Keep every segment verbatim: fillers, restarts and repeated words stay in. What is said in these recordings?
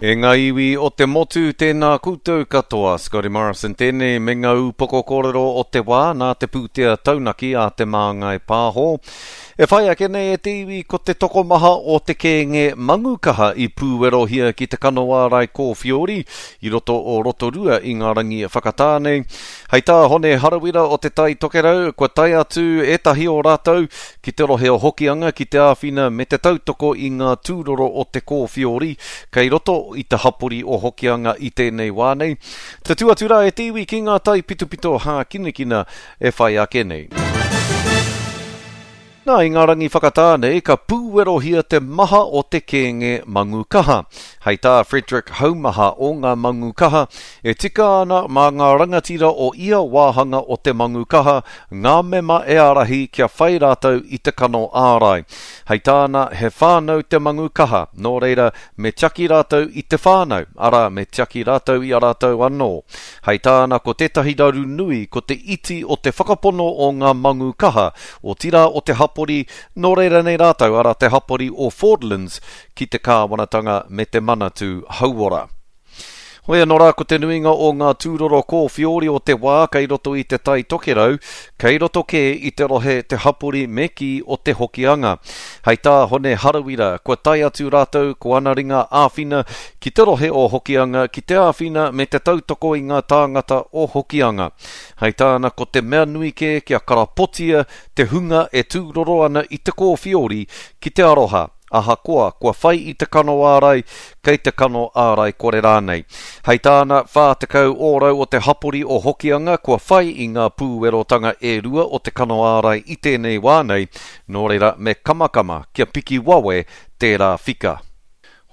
E ngā iwi o te motu, tēnā koutou katoa. Scotty Morrison tēnei me ngā upoko kōrero o te wā nā te pūtea taunaki a Te Māngai Pāho. E whai ake nei e te iwi ko te tokomaha o te kēnge mangukaha i pūwerohia ki te kano ārai kōwhiori i roto o Rotorua i ngā rangi whakatā nei. Hei tā Hone Harawira o Te Tai Tokerau, kua tae atu ētahi o rātou ki te rohe o Hokianga ki te āwhina me te tautoko i ngā tūroro o te kōwhiori kei roto i te hapori o Hokianga i tēnei wā nei. Tatū atu rā e te iwi ki ngā taipitopito hākinakina e whai ake nei. Nā, i ngā rangi whakatā nei, ka pūwerohia te maha o te kēnge mangu kaha. Hei tā Frederick Haumaha o ngā mangu kaha, e tika ana mā ngā rangatira o ia wāhanga o te mangu kaha, ngā mema e ārahi kia whai rātou i te kano ārai. Hei tāna, he whānau te mangu kaha, nō reira, me tiaki rātou i te whānau, arā, me tiaki rātou i a rātou anō. Hei tāna, ko tētahi raru nui, ko te iti o te whakapono o ngā mangu kaha, otirā o te hapori, nō reira nei rātou, arā te hapori o Fordlands, ki te kāwanatanga me te Manatū Hauora. Hoi anō rā, ko te nuinga o ngā tūroro kōwhiori o te wā kei roto i te Tai Tokerau, kei roto kē i te rohe te hapori me kī o te Hokianga. Hei tā Hone Harawira, kua tae atu rātou ko ana ringa āwhina ki te rohe o Hokianga ki te āwhina me te tautoko i ngā tāngata o Hokianga. Hei tāna, ko te mea nui kē kia karapotia te hunga e tūroro ana i te kōwhiori ki te aroha. Ahakoa, kua whai i te kano ārai, kei te kano ārai kore rānei. Hei tāna, whā tekau ōrau o te hapori o Hokianga, kua whai i ngā pūwerotanga e rua o te kano ārai i tēnei wā nei, nō reira me kamakama kia piki wawe tērā whika.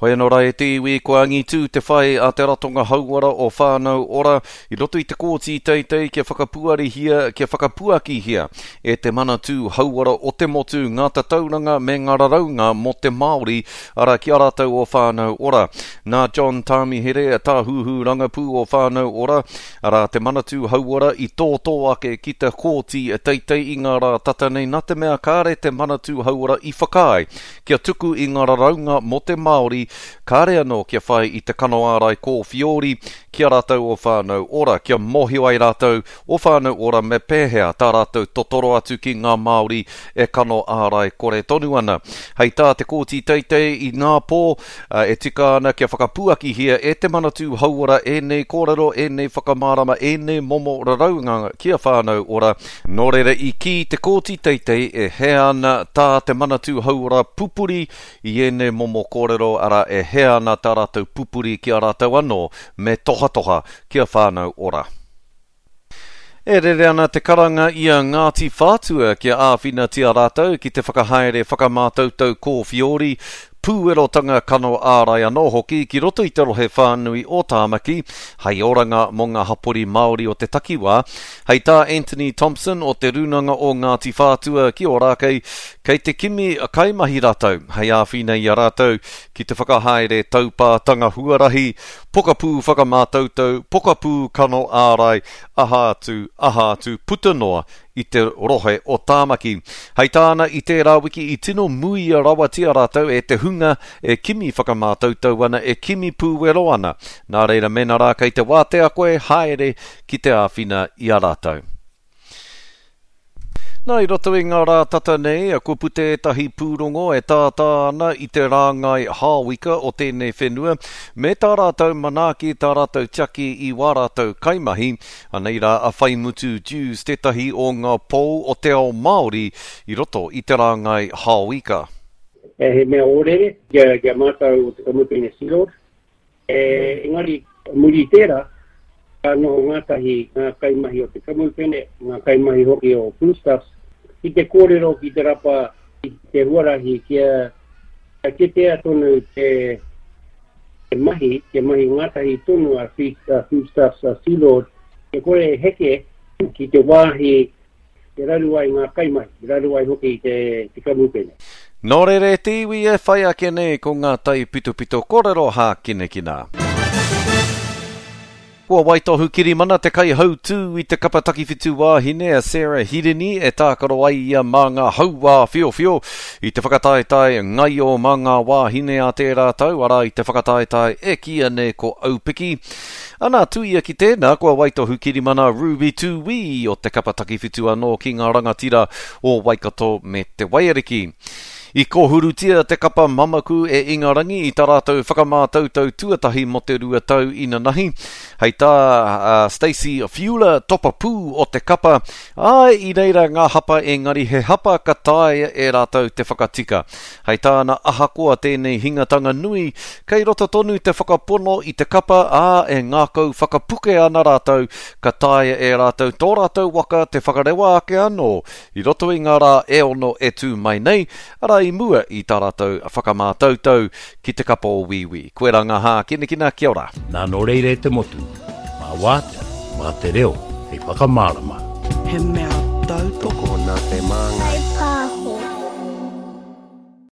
Hoi anō rā e te iwi, kua angitū te whai a te ratonga hauora o Whānau Ora i roto i te kōti teitei kia whakapuarihia, kia whakapuakihia e te Manatū Hauora o te motu ngā tatauranga me ngā raraunga mō te Māori, arā ki a rātou o Whānau Ora. Nā John Tāmihere, tāhuhu rangapū o Whānau Ora, arā te Manatū Hauora i tōtō ake ki te kōti teitei i ngā rā tata nei, nā te mea kāre te Manatū Hauora i whakaae kia tuku i ngā raraunga mō te Māori, kāre anō kia whai i te kano ārai kōwhiori ki a rātou o Whānau Ora, kia mōhio ai rātou o Whānau Ora me pēhea tā rātou totoro atu ki ngā Māori e kano ārai kore tonu ana. Hei tā te kōti teitei i ngā pō, e tika ana kia whakapuakihia e te Manatū Hauora ēnei kōrero, ēnei whakamārama, ēnei momo raraunga ki a Whānau Ora. Nō reira i kī te kōti teitei e hea ana tā te Manatū Hauora pupuri i ēnei momo kōrero, arā e hea ana tā rātou pupuri ki a rātou anō me tohatoha ki a Whānau Ora. E rere ana te karanga i a Ngāti Whātua kia āwhinatia rātou ki te whakahaere whakamātautau kōwhiori, pūwerotanga kano ārai anō hoki ki roto i te rohe whānui o Tāmaki, hei oranga mō ngā hapori Māori o te takiwā. Hei tā Anthony Thompson o te Rūnanga o Ngāti Whātua ki Ōrākei, kei te kimi kaimahi rātou, hei āwhina i a rātou ki te whakahaere taupātanga huarahi, pokapū whakamātautau, pokapū kano ārai, aha atu, aha atu, puta noa i te rohe o Tāmaki. Hei tāna i tērā wiki i tino muia rawatia rātou e te hunga e kimi whakamātautau ana, e kimi pūwero ana. Nā reira mēnā rā kei te wātea koe, haere ki te āwhina i a rātou. Nā, i roto i ngā rā tata nei, kua puta ētahi pūrongo e tātā ana i te rāngai hāwika o tēnei whenua, me tā rātou manaaki, tā rātou tiaki i wā rātou kaimahi. Anei rā a Whaimutu Dewes tētahi o ngā pou o te ao Māori i roto i te rāngai hāwika. E he mea ōrere kia, kia mātou o te kamupene Sealord. E, engari, muri i tērā, ka noho ngātahi ngā kaimahi o te kamupene, ngā kaimahi hoki o Foodstuffs, ki te kōrero ki te rapa i te huarahi kia, kia kitea tonu te, te mahi, kia mahi ngātahi tonu a Foodstuffs, a Sealord, kia kore e heke ki te wāhi te raru ai ngā kaimahi, te raru ai hoki te, te kamupene. Nō reira e te iwi e whai ake nei ko ngā taipitopito kōrero hākinakina. Kua waitohu kirimana te kaihautū i te kapa takiwhitu wāhine a Sarah Hirini e tākaro ai ia mā ngā hauā whiowhio i te whakataetae ngaio mā ngā wāhine a tērā tau, arā i te whakataetae e kīia nei ko Aupiki. Ana, tuia ki tēnā, kua waitohu kirimana Ruby Tūwī o te kapa takiwhitu anō ki ngā rangatira o Waikato me Te Waiariki. I kōhurutia te kapa mamaku e Ingarangi i tā rātou whakamātautau tuatahi mō te rua tau inanahi. Hei tā uh, Stacey Fuller, topa pū o te kapa, āe i reira ngā hapa engari he hapa ka taea e rātou te whakatika. Hei tāna ahakoa tēnei hingatanga nui, kei roto tonu te whakapono i te kapa, ā, e ngākau whakapuke ana rātou, ka taea e rātou tō rātou waka te whakarewa ake anō i roto i ngā rā e ono e tū mai nei, arā i mua i tā rātou whakamātautau ki te kapa o Wīwī. Koirā ngā hākinakina, kia ora. Nā nō reira e te motu, mā wātea, mā te reo, hei whakamārama. He mea tautoko Tokona te māngai.